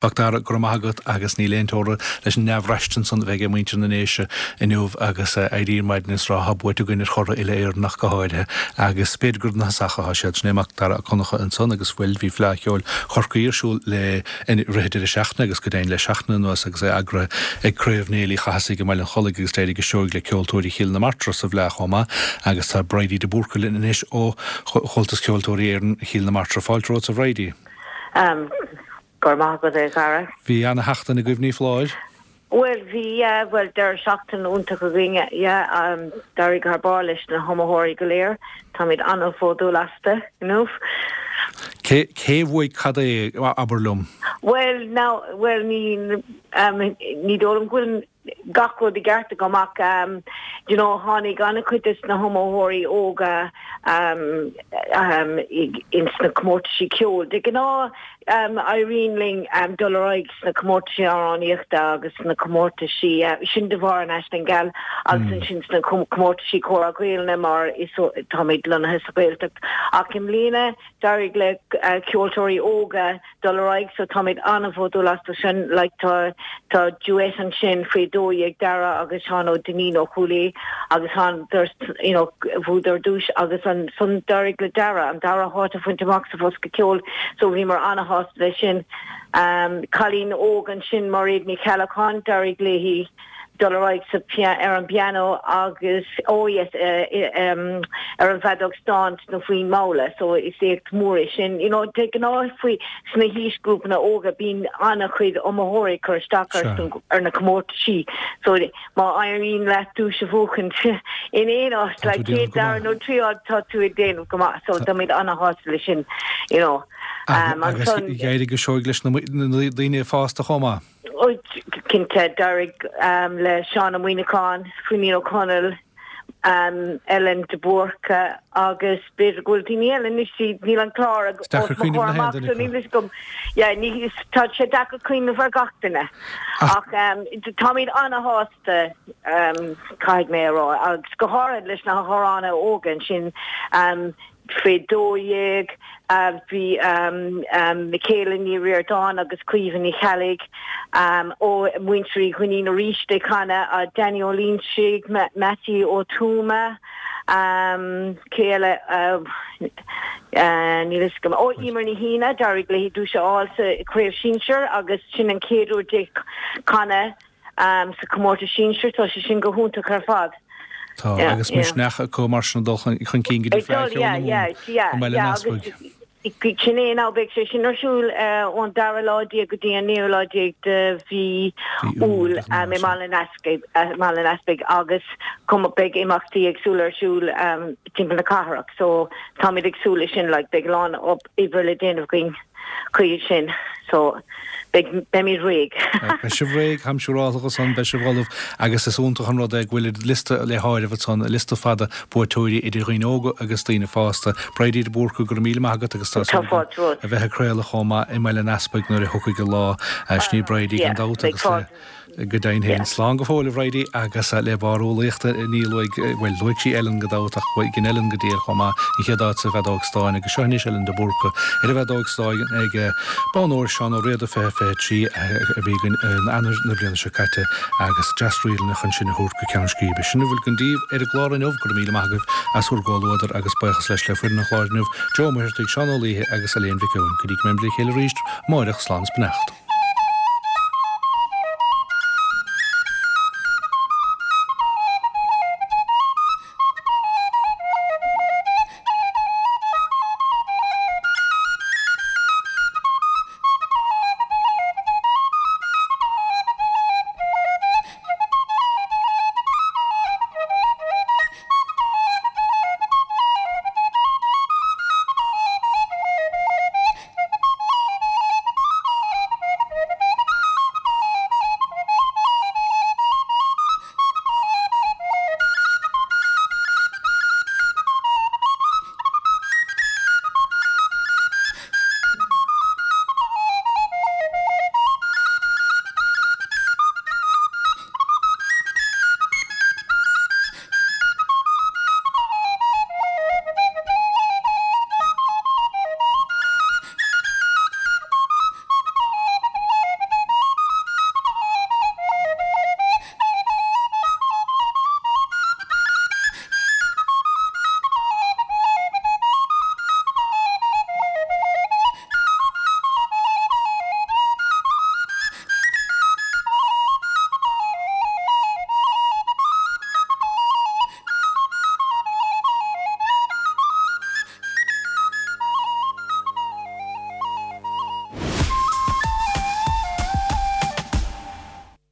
Macdara, go raibh maith agat agus níl aon teora leis an ndea-bhraistint san a bheidh ag muintir na nDéise inniu agus éirí ar maidin is rá tá buaite againn ar churaidh uile-Éireann ach go háirithe agus b'fhéidir gur ina thosach atá siad. Sin é Macdara Ó Conchadha ansan agus bhuel bhí Fleadh Cheoil Chorcaí ar siúl le i rith an deireadh seachtaine agus go deimhin le seachtain anuas agus é eagraithe ag Craobh Néill Uí Chathasaigh i mBaile an Chollaigh agus d'éirigh go seoigh le Ceoltóirí Chill na Martra sa bhFleadh chomh maith agus tá Bridie de Búrca linn anois ó Chomhaltas Ceoltóirí Éireann Chill na Martra. Fáilte romhat a Bhridie. Go raibh maith agat, a Dhara. Bhí ana-sheachtain agaibh, ní foláir? Bhuel, bhí, yeah, bhuel, deireadh seachtaine iontach againn, yeah, d'éirigh thar barr leis na hiomaitheoirí go léir, táimid an-bhródúil astu, you know. Cé, cé bhuaigh cad é, abair liom? Bhuel, now, bhuel, ní, ní dóigh liom go bhfuil gach rud i gceart agam ach you know tháinig an-chuid des na hiomaitheoirí óga ins na comórtaisí ceoil. De ghnáth éiríonn linn dul ar aghaidh sna comórtaisí amhránaíochta agus sna comórtaisí sin de bharr an Aisling Gheal agus ansin sna comórtaisí Comhrá Gaelainne mar is táimid lonnaithe sa Ghaeltacht ach i mbliana d'éirigh le ceoltóirí óga dul ar aghaidh so táimid an-bhródúil astu sin like tá tá duet ansin faoi 12 Dara agus Seán Ó Duinnín ó Chúil Aodha agus thánadar you know bhuadar duais agus ansan d'éirigh le Dara an dara háit a bhaint amach sa bhosca ceoil so bhíomar an-shásta leis sin. Um cailín óg ansin Mairéad Ní Cheallacháin d'éirigh léi dul ar aghaidh sa ar an bpianó agus oh yes ar an bhfeadóg stáin sna foinn mhalla so is éacht mór é sin. You know de ghnáth faoi sna haoisghrúpanna óga bíonn an-chuid iomaitheoirí ag cur isteach ar na comórtaisí so má éiríonn leat duais a bhuachaint in aon áit like céad dara nó tríú háit tá tú ag déanamh go maith so táimid an-shásta leis sin you know. Agus d'éirigh go seoigh leis na daoine fásta chomh maith. Cinnte, d'éirigh le Seán Ó Muíneacháin, Fineen Ó Conaill, Ellen de Búrca agus b'fhéidir go bhfuil daoine eile anois, níl an clár os mo chomhair amach so níl fhios agam, yeah, ní, tá sé deacair cuimhneamh ar gach duine ach táimid ana-shásta caithfidh mé a rá agus go háirithe leis na hamhránaithe óga ansin. Faoi 12, bhí Michaela Ní Ríordáin agus Caoimhe Ní Cheallaigh ó Mhuintir Uí Dhuinnín arís ag canadh, Danny Ó Loinsigh, Mattie Ó Tuama, cé eile, níl fhios agam, ó Emer Ní hAoine, d'éirigh léi duais a fháil sa Chraobh Shinsir agus sin an chéad uair di canadh. sa chomórtas sinsir, tá sé sin go hiontach ar fad. Tá, agus misneach acu mar sin dul chun cinn go dtí Fleadh Cheoil na Mumhan i mBaile an Easpaig. Sin é now, beidh sé sin ar siúl ón dara lá déag go dtí an naoú lá déag de mhí Iúil i mBaile an Easpaig agus beidh imeachtaí éagsúla ar siúl timpeall na cathrach so táimid ag súil leis sin, like beidh a lán oibre le déanamh againn. chuige sin so beidh, beimid réidh. Beidh sibh réidh, táim siúráltha ansan, beidh sibh ullamh agus is iontach an rud é go bhfuil liosta le háireamh ansan, liosta fada buaiteoirí idir dhaoine óga agus daoine fásta. Bridie de Búrca, go raibh míle maith agat agus tá súil agam a bheith ag craoladh chomh maith i mBaile an Easpaig nuair a thiocfaidh an lá. Sin í Bridie gan dabht agus le. Go deimhin féin. Slán go fóill, a Bhridie, agus le barr umhlaíochta ní luaigh, bhuel, luaigh sí Ellen gan dabht ach dhein Ellen go diail chomh maith, an chéad áit sa bhfeadóg stáin agus seo anois Ellen de Búrca ar an bhfeadóg stáin ag Bonn Óir Seán Ó Riada 20 23 a bhí againn in Eanáir na bliana seo caite agus deas-ríleanna chun sinn a thabhairt go ceann scríbe. Sin a bhfuil againn daoibh ar an gclár inniu. Go raibh míle maith agaibh as bhur gcomhluadar agus buíochas leis le foireann an chláir inniu, Joe Ó Muircheartaigh, Seán Ó Laoithe agus Elaine Mhic Eoin. Go dtí go mbeimid le chéile arís amáireach, slán is beannacht.